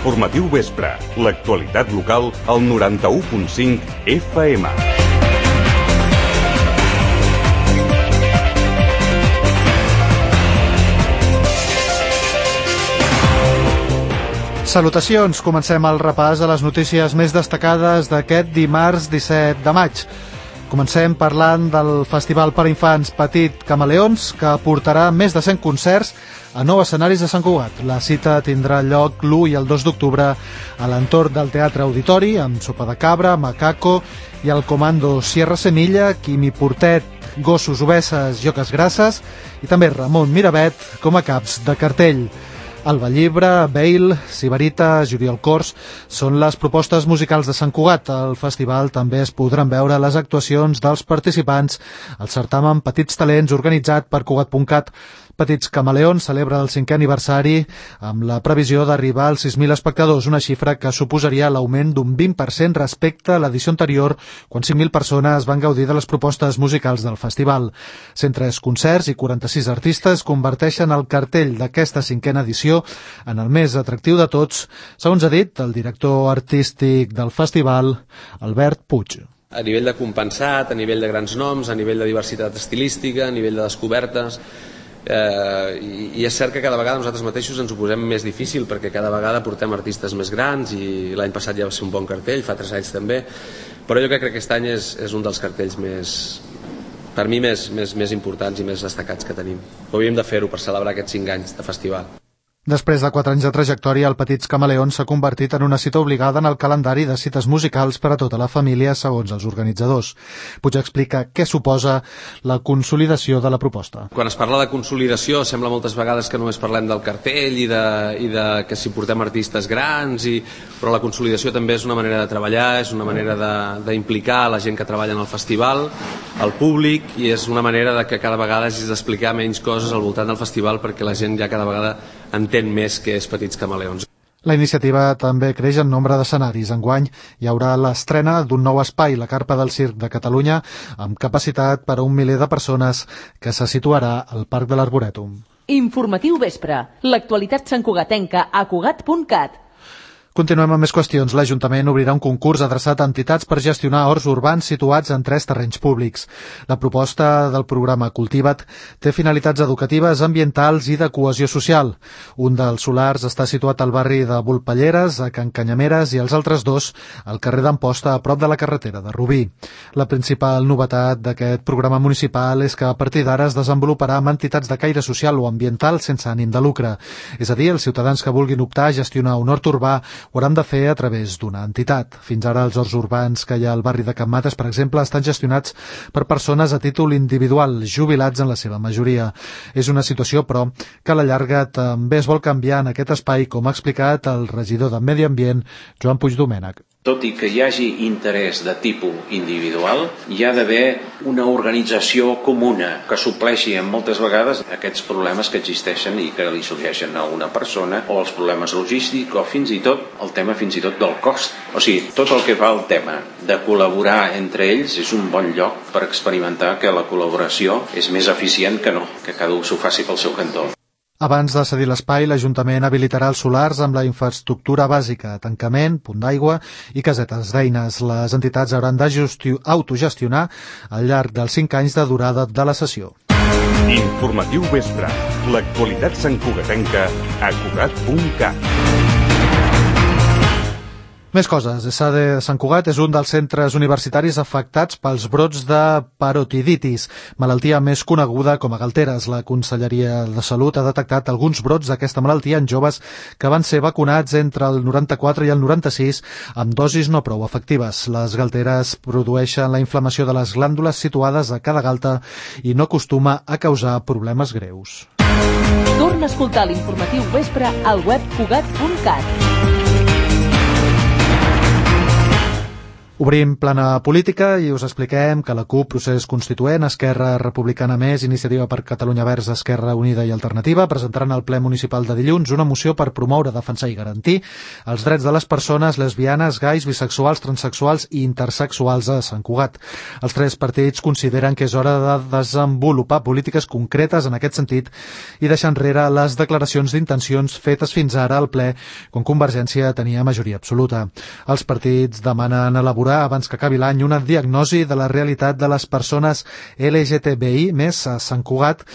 Informatiu vespre. L'actualitat local al 91.5 FM. Salutacions, comencem el repàs de les notícies més destacades d'aquest dimarts 17 de maig. Comencem parlant del Festival per a Infants Petit Camaleons, que portarà més de 100 concerts a 9 escenaris de Sant Cugat. La cita tindrà lloc l'1 i el 2 d'octubre a l'entorn del Teatre Auditori, amb Sopa de Cabra, Macaco i el Comando Sierra Semilla, Quimi Portet, Gossos Obesses i Oques Grasses, i també Ramon Miravet com a caps de cartell. Alba Llibre, Bale, Sibarita, Juriol Cors són les propostes musicals de Sant Cugat. Al festival també es podran veure les actuacions dels participants al certamen Petits Talents organitzat per Cugat.cat. Petits Camaleons celebra el 5è aniversari amb la previsió d'arribar als 6.000 espectadors, una xifra que suposaria l'augment d'un 20% respecte a l'edició anterior, quan 5.000 persones van gaudir de les propostes musicals del festival. 103 concerts i 46 artistes converteixen el cartell d'aquesta 5a edició en el més atractiu de tots, segons ha dit el director artístic del festival, Albert Puig. A nivell de compensat, a nivell de grans noms, a nivell de diversitat estilística, a nivell de descobertes, i és cert que cada vegada nosaltres mateixos ens ho posem més difícil perquè cada vegada portem artistes més grans i l'any passat ja va ser un bon cartell, fa 3 anys també, però jo crec que aquest any és un dels cartells per mi més importants i més destacats que tenim. Hauríem de fer-ho per celebrar aquests 5 anys de festival. Després de 4 anys de trajectòria, el Petits Camaleons s'ha convertit en una cita obligada en el calendari de cites musicals per a tota la família, segons els organitzadors. Puig explica què suposa la consolidació de la proposta. Quan es parla de consolidació, sembla moltes vegades que només parlem del cartell i de que si portem artistes grans, però la consolidació també és una manera de treballar, és una manera d'implicar la gent que treballa en el festival, el públic, i és una manera de que cada vegada hagis d'explicar menys coses al voltant del festival perquè la gent ja cada vegada entén més que és Petits Camaleons. La iniciativa també creix en nombre d'escenaris. Enguany hi haurà l'estrena d'un nou espai, la Carpa del Circ de Catalunya, amb capacitat per a 1 miler de persones, que se situarà al Parc de l'Arborètum. Informatiu vespre. L'actualitat santcugatenca a Cugat.cat. Continuem amb més qüestions. L'Ajuntament obrirà un concurs adreçat a entitats per gestionar horts urbans situats en 3 terrenys públics. La proposta del programa Cultiva't té finalitats educatives, ambientals i de cohesió social. Un dels solars està situat al barri de Volpelleres, a Can Canyameres, i els altres 2 al carrer d'Amposta, a prop de la carretera de Rubí. La principal novetat d'aquest programa municipal és que a partir d'ara es desenvoluparà amb entitats de caire social o ambiental sense ànim de lucre. És a dir, els ciutadans que vulguin optar a gestionar un hort urbà ho hauran de fer a través d'una entitat. Fins ara els horts urbans que hi ha al barri de Can Mates, per exemple, estan gestionats per persones a títol individual, jubilats en la seva majoria. És una situació, però, que a la llarga també es vol canviar en aquest espai, com ha explicat el regidor de Medi Ambient, Joan Puigdomènech. Tot i que hi hagi interès de tipus individual, hi ha d'haver una organització comuna que supleixi en moltes vegades aquests problemes que existeixen i que li sorgeixen a una persona, o els problemes logístics, o fins i tot el tema del cost. O sigui, tot el que fa el tema de col·laborar entre ells és un bon lloc per experimentar que la col·laboració és més eficient que no, que cada un s'ho faci pel seu cantó. Abans de cedir l'espai, l'Ajuntament habilitarà els solars amb la infraestructura bàsica, tancament, punt d'aigua i casetes d'eines. Les entitats hauran d'autogestionar al llarg dels 5 anys de durada de la sessió. Informatiu vespre. L'actualitat santcugatenca a Cugat.cat. Més coses. ESADE Sant Cugat és un dels centres universitaris afectats pels brots de parotiditis, malaltia més coneguda com a galteres. La Conselleria de Salut ha detectat alguns brots d'aquesta malaltia en joves que van ser vacunats entre el 94 i el 96 amb dosis no prou efectives. Les galteres produeixen la inflamació de les glàndules situades a cada galta i no acostuma a causar problemes greus. Torna a escoltar l'informatiu vespre al web Cugat.cat. Obrim plana política i us expliquem que la CUP, Procés Constituent, Esquerra Republicana Més, Iniciativa per Catalunya Verds, Esquerra Unida i Alternativa presentaran al ple municipal de dilluns una moció per promoure, defensar i garantir els drets de les persones lesbianes, gais, bisexuals, transsexuals i intersexuals a Sant Cugat. Els tres partits consideren que és hora de desenvolupar polítiques concretes en aquest sentit i deixar enrere les declaracions d'intencions fetes fins ara al ple quan Convergència tenia majoria absoluta. Els partits demanen elaborar abans que acabi l'any una diagnosi de la realitat de les persones LGTBI més a Sant Cugat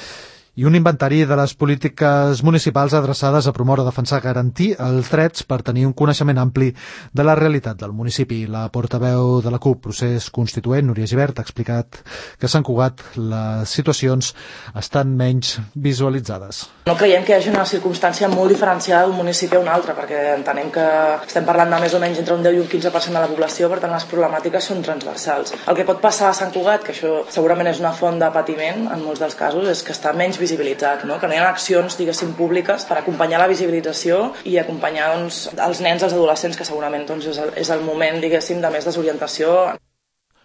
i un inventari de les polítiques municipals adreçades a promoure, defensar, garantir els drets per tenir un coneixement ampli de la realitat del municipi. La portaveu de la CUP, Procés Constituent, Núria Gibert, ha explicat que a Sant Cugat les situacions estan menys visualitzades. No creiem que hi hagi una circumstància molt diferenciada d'un municipi a un altre, perquè entenem que estem parlant de més o menys entre un 10 i un 15% de la població, per tant les problemàtiques són transversals. El que pot passar a Sant Cugat, que això segurament és una font de patiment en molts dels casos, és que està menys visibilitzat, no? Que no hi ha accions, diguéssim, públiques per acompanyar la visibilització i acompanyar els nens, els adolescents, que segurament és el moment, diguéssim, de més desorientació.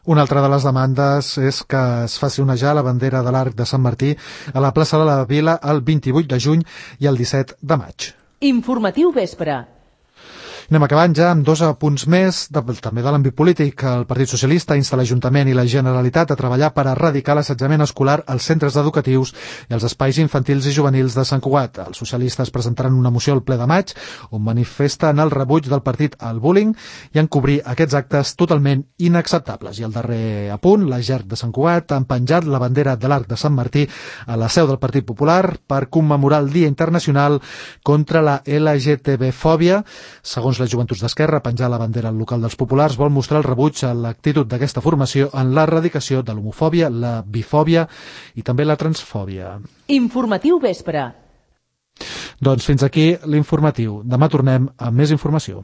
Una altra de les demandes és que es faci onejar la bandera de l'Arc de Sant Martí a la plaça de la Vila el 28 de juny i el 17 de maig. Informatiu Vespre. Anem acabant ja amb dos apunts més, també de l'àmbit polític. El Partit Socialista insta l'Ajuntament i la Generalitat a treballar per erradicar l'assetjament escolar als centres educatius i als espais infantils i juvenils de Sant Cugat. Els socialistes presentaran una moció al ple de maig on manifesten el rebuig del partit al bullying i en cobrir aquests actes totalment inacceptables. I el darrer apunt, la GERC de Sant Cugat han penjat la bandera de l'Arc de Sant Martí a la seu del Partit Popular per commemorar el Dia Internacional contra la LGTB-fòbia. Segons les Joventuts d'Esquerra, penjar la bandera al local dels populars vol mostrar el rebuig a l'actitud d'aquesta formació en l'erradicació de l'homofòbia, la bifòbia i també la transfòbia. Informatiu Vespre. Doncs fins aquí l'informatiu. Demà tornem amb més informació.